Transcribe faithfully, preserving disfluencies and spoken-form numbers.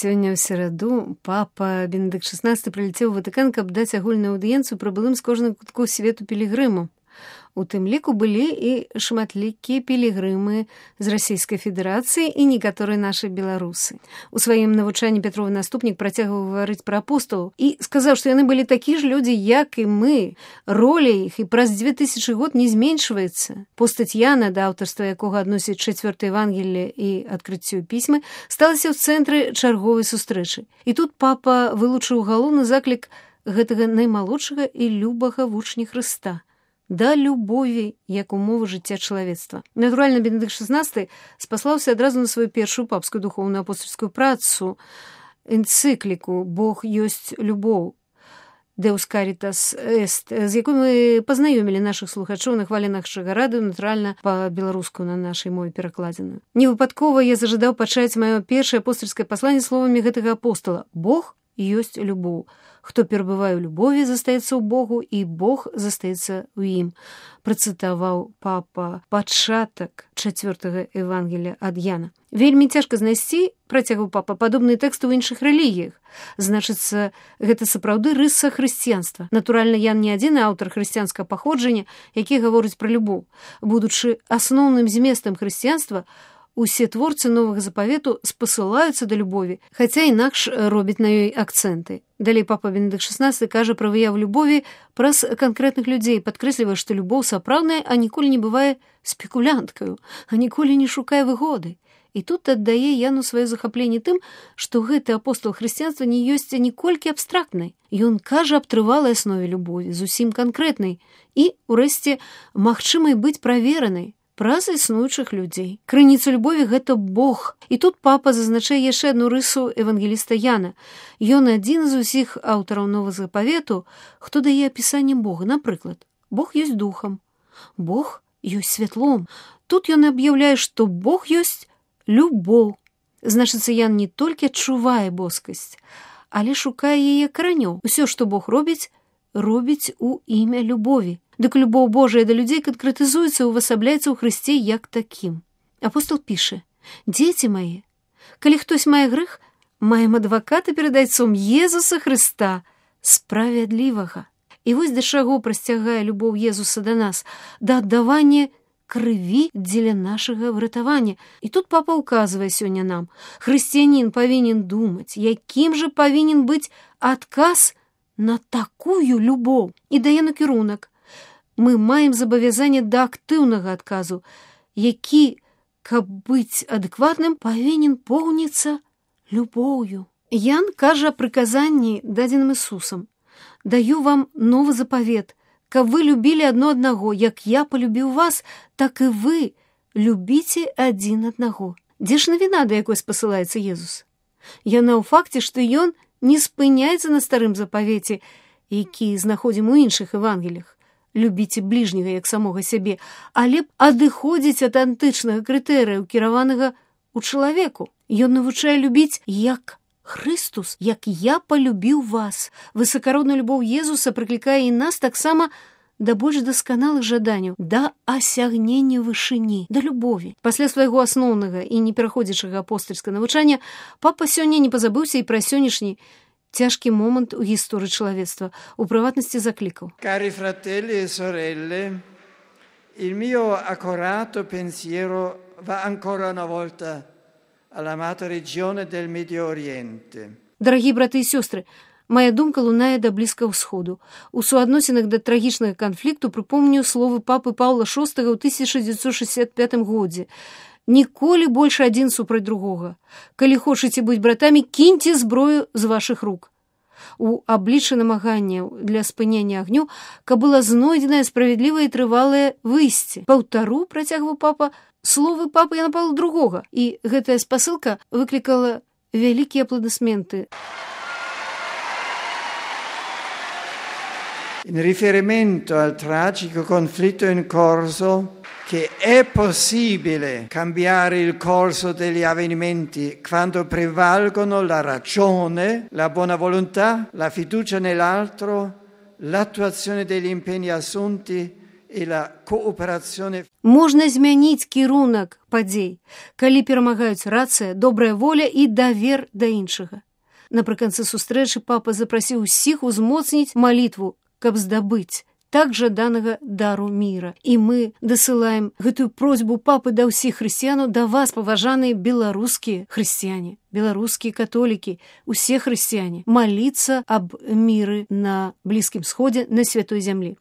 Сёння ў сераду папа Бенедыкт шаснасты прылецеў у Ватыкан, каб даць агульную аўдыенцыю прыбылым з кожнага кутку свету пілігрымам. У тым ліку былі і шматлікія пілігрымы з Расійскай Федэрацыі і некаторыя нашы беларусы. У сваім навучанні Пятровы наступнік працягваў гаварыць пра апосталаў і сказаў, што яны былі такі ж людзі, як і мы. Роля іх і праз дзве тысячы год не зменшваецца. Постаць Яна, да аўтарства якога адносіць чацвёртае Евангелле і адкрыццё пісьмы, сталася ў цэнтры чарговай сустрэчы. І тут папа вылучыў галоўны заклік гэтага наймалодшага і любага вучня Хрыста. Да любові, як умова жыцця чалавецтва. Натуральна, Бенедыкт шаснасты спаслаўся адразу на сваю першую папскую духоўную апостольскую працу, энцыкліку «Бог ёсць любоў», «Deus caritas est», з якой мы пазнаёмілі нашых слухачоў на хваленах Шагараду, натуральна, па-беларуску на нашай мове перакладзеную. Невыпадкова я зажадаў пачаць маё першае апостольскае пасланне словамі гэтага апостала «Бог ёсць любоў». Хто перабывае ў любові, застаецца ў Богу, і Бог застаецца ў ім. Працытаваў папа пачатак чацвёртага Евангелля ад Яна. Вельмі цяжка знайсці, працягваў папа, падобныя тэксты ў іншых рэлігіях. Значыцца, гэта сапраўды рыса хрысціянства. Натуральна, Ян не адзіны аўтар хрысціянскага паходжання, які гаворыць пра любоў. Будучы асноўным зместам хрысціянства, усе творцы новага запавету спасылаюцца да любові, хаця інакш робяць на ёй акцэнты. Далей папа Бенедыкт шаснасты кажа пра выяву любові праз канкрэтных людзей, падкрэслівае, што любоў сапраўдная, а ніколі не бывае спекулянткаю, а ніколі не шукае выгоды. І тут аддае Яну сваё захапленне тым, што гэты апостол хрысціянства не ёсць ніколькі абстрактнай. Ён кажа аб трывалай аснове любові, зусім канкрэтнай і, урэшце, магчымай быць праверанай праз існуючых людзей. Крыніца любові – гэта Бог. І тут папа зазначае яшчэ адну рысу евангеліста Яна. Ён адзін з усіх аўтараў новага запавету, хто дае апісанне Бога. Напрыклад, Бог ёсць духам, Бог ёсць святлом. Тут ён аб'яўляе, што Бог ёсць любоў. Значыцца, Ян не толькі адчувае боскасць, але шукае яе каранёў. Усё, што Бог робіць, робіць у імя любові. Дык любоў Божая да людзей канкрэтызуецца, увасабляецца ў Хрысце як такім. Апостол піша: «Дзеці мае, калі хтось мае грэх, маем адваката перад Айцом Езуса Хрыста, справядлівага». І вось да чаго прасцягае любоў Езуса да нас, да аддавання крыві дзеля нашага выратавання. І тут папа ўказвае сёння нам: хрысціянін павінен думаць, якім жа павінен быць адказ на такую любоў. І дае накірунак. Мы маем забавязанне да актыўнага адказу, які, каб быць адэкватным, павінен поўніцца любоўю. Ян кажа аб прыказанні, дадзеным Ісусам: «Даю вам новы запавет, каб вы любілі адно аднаго, як я полюбіў вас, так і вы любіце адзін аднаго». Дзе ж навіна, да якой спасылаецца Езус? Яна ў факце, што ён не спыняецца на старым запавеце, які знаходзім у іншых евангеліях. Любіце бліжняга як самога сябе, але адыходзіць ад антычнага крытэрыя, кіраванага ў чалавеку. Ён навучае любіць як Хрыстус, як я полюбіў вас. Высакародная любоў Езуса прыклікае і нас таксама да больш дасканалых жаданняў, да асягнення вышыні, да любові. Пасля свайго асноўнага і непераходзячага апостальскага навучання папа сёння не пазабыўся і пра сённяшні цяжкі момант у гісторыі чалавецтва, у прыватнасці заклікаў. Cari fratelli e sorelle, il mio accorato pensiero va ancora una volta all'amata regione del Medio Oriente. Дарагі браты і сёстры, мая думка лунае да Блізкага ўсходу. У суадносінах да трагічнага канфлікту прыпомню словы папы Паўла шостага ў тысяча дзевяцьсот шэсцьдзясят пятым годзе. Ніколі больш адзін супраць другога. Калі хочаце быць братамі, кіньце зброю з вашых рук. У абліччы намаганняў для спынення агню, каб была знойдзеная справядлівае і трывалае выйсце. Паўтару, працягваў папа, словы папы Яна Паўла другога, і гэтая спасылка выклікала вялікія апладысменты. In riferimento al tragico conflitto in corso, che è possibile cambiare il corso degli avvenimenti quando prevalgono la ragione, la buona volontà, la fiducia nell'altro, l'attuazione degli impegni assunti e la cooperazione. Можна змяніць кірунак падзей, калі перамагаюць рацыя, добрая воля і давер да іншага. Напрыканцы сустрэчы папа запрасіў усіх узмоцніць малітву, каб здабыць так жаданага дару міра. І мы дасылаем гэтую просьбу папы да ўсіх хрысціянаў, да вас, паважаныя беларускія хрысціяне, беларускія католікі, усе хрысціяне, маліцца аб міры на Блізкім Сходзе, на Святой Зямлі.